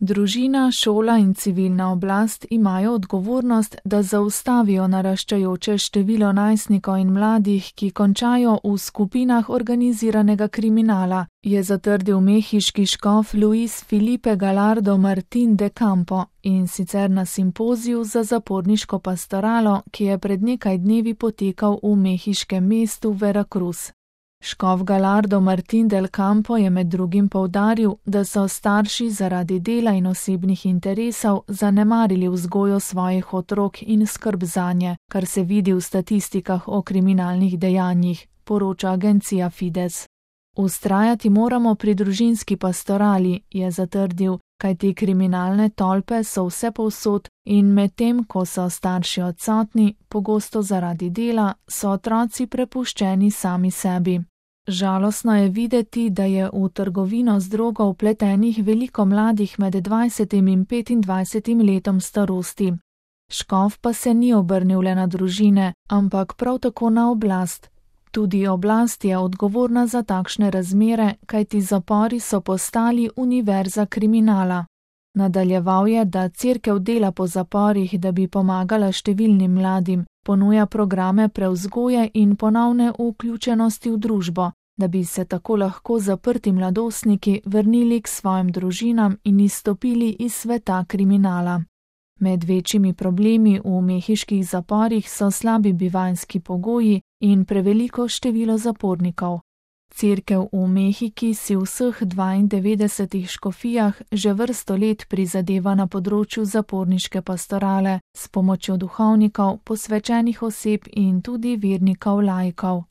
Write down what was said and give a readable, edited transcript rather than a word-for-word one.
Družina, šola in civilna oblast imajo odgovornost, da zaustavijo naraščajoče število najstnikov in mladih, ki končajo v skupinah organiziranega kriminala, je zatrdil mehiški škof Luis Felipe Gallardo Martín de Campo, in sicer na simpoziju za zaporniško pastoralo, ki je pred nekaj dnevi potekal v mehiškem mestu Veracruz. Škof Gallardo Martín del Campo je med drugim poudaril, da so starši zaradi dela in osebnih interesov zanemarili vzgojo svojih otrok in skrb zanje, kar se vidi v statistikah o kriminalnih dejanjih, poroča agencija Fides. Vztrajati moramo pri družinski pastorali, je zatrdil, kajti kriminalne tolpe so vsepovsod in medtem, ko so starši odsotni, pogosto zaradi dela, so otroci prepuščeni sami sebi. Žalostno je videti, da je v trgovino z drogo vpletenih veliko mladih med 20 in 25 letom starosti. Škof pa se ni obrnil le na družine, ampak prav tako na oblast. Tudi oblast je odgovorna za takšne razmere, kajti zapori so postali univerza kriminala. Nadaljeval je, da cerkev dela po zaporih, da bi pomagala številnim mladim, ponuja programe prevzgoje in ponovne vključenosti v družbo, da bi se tako lahko zaprti mladostniki vrnili k svojim družinam in izstopili iz sveta kriminala. Med večjimi problemi v mehiških zaporih so slabi bivanjski pogoji in preveliko število zapornikov. Cerkev v Mehiki si v vseh 92 škofijah že vrsto let prizadeva na področju zaporniške pastorale s pomočjo duhovnikov, posvečenih oseb in tudi vernikov laikov.